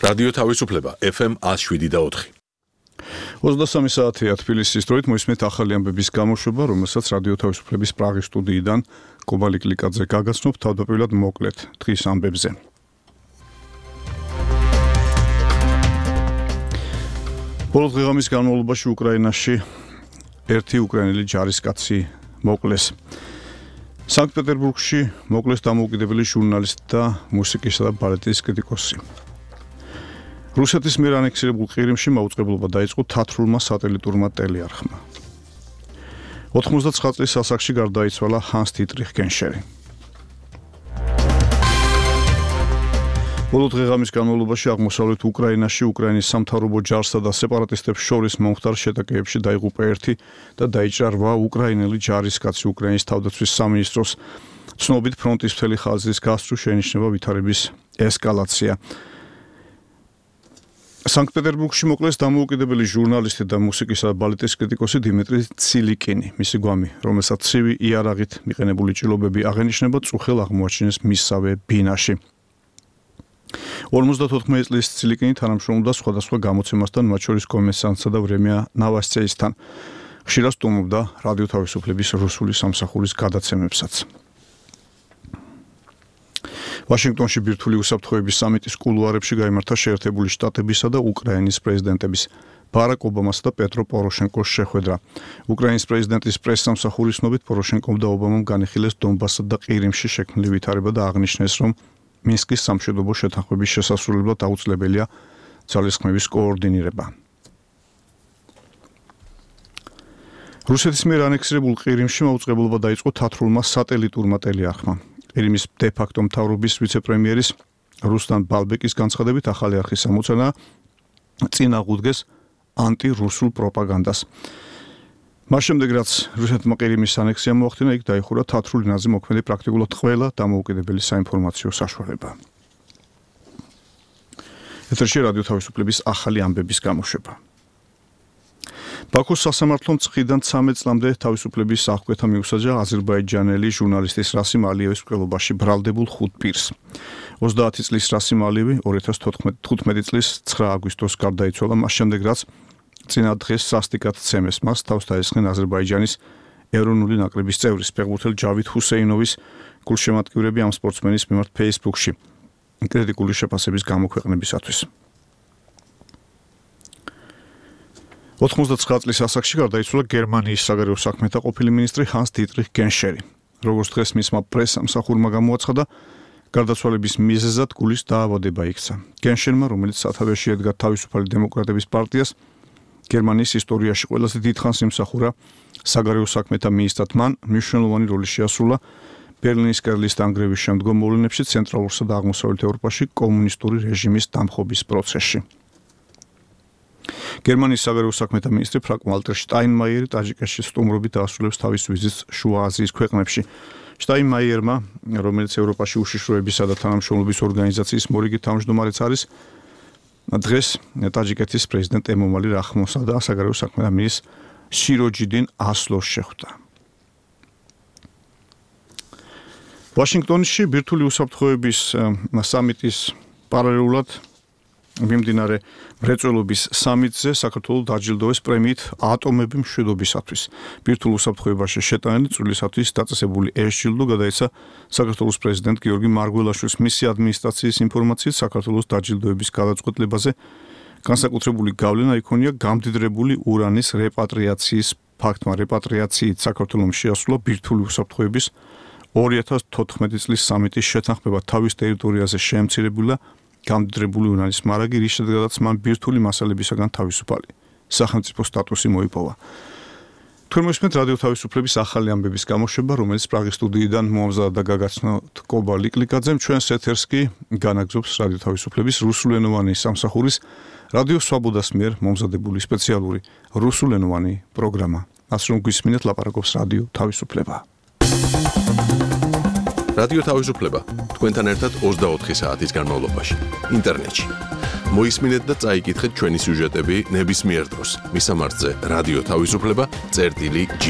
რადიო თავისუფლება FM 107.4. 23 საათია თბილისის დროით მოისმენთ ახალი ამბების გამოშვება, რომელსაც რადიო თავისუფლების პრაღის სტუდიიდან კობა ლიკლიკაძე გაგაცნობთ თავდაპირველად მოკლედ დღის ამბებზე. ბოლო დღეღამის განმავლობაში უკრაინაში ერთი უკრაინელი ჯარისკაცი მოკლეს. სანქტ-პეტერბურგში მოკლეს დამოუკიდებელი ჟურნალისტი და მუსიკისა და ბალეტის კრიტიკოსი. რუსეთის მიერ ანექსირებულ ყირიმში მაუწყებლობა დაიწყო თათრულმა სატელიტურმა ტელეარხმა. 99 წლის ასაკში გარდაიცვალა ჰანს დიტრიხ გენშერი. ბოლო დღეღამის განმავლობაში აღმოსავლეთ უკრაინაში უკრაინის სამთავრობო ჯარსა და სეპარატისტებს შორის მომხდარ შეტაკებებში დაიღუპა ერთი და დაიჭრა 8 უკრაინელი ჯარისკაცი. უკრაინის თავდაცვის სამინისტროს ცნობით ფრონტის მთელი ხაზის გასწვრივ შეინიშნება ვითარების ესკალაცია. სანქტ-პეტერბურგში მოკლეს დამოუკიდებელი ჟურნალისტი და მუსიკისა და ბალეტის კრიტიკოსი დიმიტრი ცილიკინი. მისი გვამი, რომელსაც ცივი იარაღით მიყენებული ჭრილობები აღენიშნება, წუხელ აღმოაჩინეს მისსავე ბინაში. 54 წლის ცილიკინი თანამშრომლობდა სხვადასხვა გამოცემასთან, მათ შორის კომენსანტსა და ვრემია ნავასცეისთან. ხშირად სტუმრობდა რადიო თავისუფლების რუსული სამსახურის გადაცემებსაც. ვაშინგტონში ბირთვული უსაფრთხოების სამიტის კულუარებში გაიმართა შეერთებული შტატებისა და უკრაინის პრეზიდენტების ბარაკ ობამასა და პეტრო პოროშენკოს შეხვედრა. უკრაინის პრეზიდენტის პრესსამსახურის ცნობით პოროშენკომ და ობამამ განიხილეს დონბასსა და ყირიმში შექმნილი ვითარება და აღნიშნეს, რომ მინსკის სამშვიდობო შეთანხმების შესასრულებლად აუცილებელია ძალისხმევის კოორდინირება. რუსეთის მიერ ანექსირებულ ყირიმში მაუწყებლობა დაიწყო თათრულმა სატელიტურმა ტელეარხმა. ყირიმის დე-ფაქტო მთავრობის ვიცე-პრემიერის რუსლან ბალბეკის განცხადებით ახალი არხის ამოცანა წინ აღუდგეს ანტი-რუსულ პროპაგანდას. მას შემდეგ, რაც რუსეთმა ყირიმის ანექსია მოახდინა, იქ დაიხურა თათრულ ენაზე მოქმედი პრაქტიკულად ყველა დამოუკიდებელი საინფორმაციო საშუალება. ეთერში რადიო თავისუფლების ახალი ამბების გამოშვება. ბაქოს სასამართლომ წხიდან 13 წლამდე თავისუფლების აღკვეთა მიუსაჯა აზერბაიჯანელი ჟურნალისტის რასიმ ალიევის მკვლელობაში ბრალდებულ 5 პირს. 30 წლის რასიმ ალიევი 2015 წლის 9 აგვისტოს გარდაიცვალა, მას შემდეგ რაც წინა დღეს სასტიკად ცემეს მას თავს დაესხნენ აზერბაიჯანის ეროვნული ნაკრების წევრის ფეხბურთელ ჯავიდ ჰუსეინოვის გულშემატკივრები ამ სპორტსმენის მიმართ Facebook-ში კრიტიკული შეფასების გამოქვეყნებისათვის. 99 წლის ასაკში გარდაიცვალა გერმანიის საგარეო საქმეთა ყოფილი მინისტრი ჰანს დიტრიხ გენშერი. როგორც დღეს მისმა პრესსამსახურმა გამოაცხადა, გარდაცვალების მიზეზად გულის დაავადება იქცა. გენშერმა, რომელიც სათავეში ედგა თავისუფალი დემოკრატების პარტიას, გერმანიის ისტორიაში ყველაზე დიდხანს იმსახურა საგარეო საქმეთა მინისტრად, მან მნიშვნელოვანი როლი შეასრულა ბერლინის კერლის დანგრევის შემდგომ მოვლენებში ცენტრალურსა და აღმოსავლეთ ევროპაში კომუნისტური რეჟიმის დამხობის პროცესში. გერმანიის საგარეო საქმეთა მინისტრი ფრანკ ვალტერ შტაინმაიერი ტაჯიკეთში სტუმრობით დაასრულებს თავის ვიზიტს შუა აზიის ქვეყნებში. შტაინმაიერმა, რომელიც ევროპაში უშიშროებისა და თანამშრომლობის ორგანიზაციის მორიგი თავმჯდომარეც არის, დღეს ტაჯიკეთის პრეზიდენტ ემომალი რახმონსა და საგარეო საქმეთა მინისტრ სიროჯიდინ ასლოს შეხვდა. ვაშინგტონში ბირთვული უსაფრთხოების სამიტის პარალელურად მიმდინარე მრეწველობის სამიტზე საქართველოს დაჯილდოვეს პრემიით ატომები მშვიდობისათვის. ბირთვულ უსაფრთხოებაში შეტანილი წვლილისათვის დაწესებული ეს ჯილდო გადაეცა საქართველოს პრეზიდენტ გიორგი მარგველაშვილს. მისი ადმინისტრაციის ინფორმაციით საქართველოს დაჯილდოების გადაწყვეტილებაზე განსაკუთრებული გავლენა იქონია გამდიდრებული ურანის რეპატრიაციის ფაქტმა. რეპატრიაციით საქართველოს შეასრულა ბირთვული უსაფრთხოების 2014 წლის სამიტის შეთანხმება თავის ტერიტორიაზე შეემცირებულა გამდიდრებული ურანის მარაგი, რის შედეგადაც მან ბირთვული მასალებისაგან თავისუფალი სახელმწიფო სტატუსი მოიპოვა. თქვენ მოსმენთ რადიო თავისუფლების ახალი ამბების გამოშვება, რომელიც პრაღის სტუდიიდან მოამზადა და გაგაცნოთ კობა ლიკლიკაძემ. ჩვენს ეთერს კი განაგზობს რადიო თავისუფლების რუსულენოვანი სამსახურის რადიო სვაბოდას მიერ მომზადებული სპეციალური რუსულენოვანი პროგრამა. ასე რომ გვისმინეთ, ლაპარაკობს რადიო თავისუფლება. რადიო თავისუფლება თქვენთან ერთად 24 საათის განმავლობაში ინტერნეტში. მოისმინეთ და წაიკითხეთ ჩვენი სიუჟეტები ნებისმიერ დროს. მისამართზე რადიო თავისუფლება წერტილი G.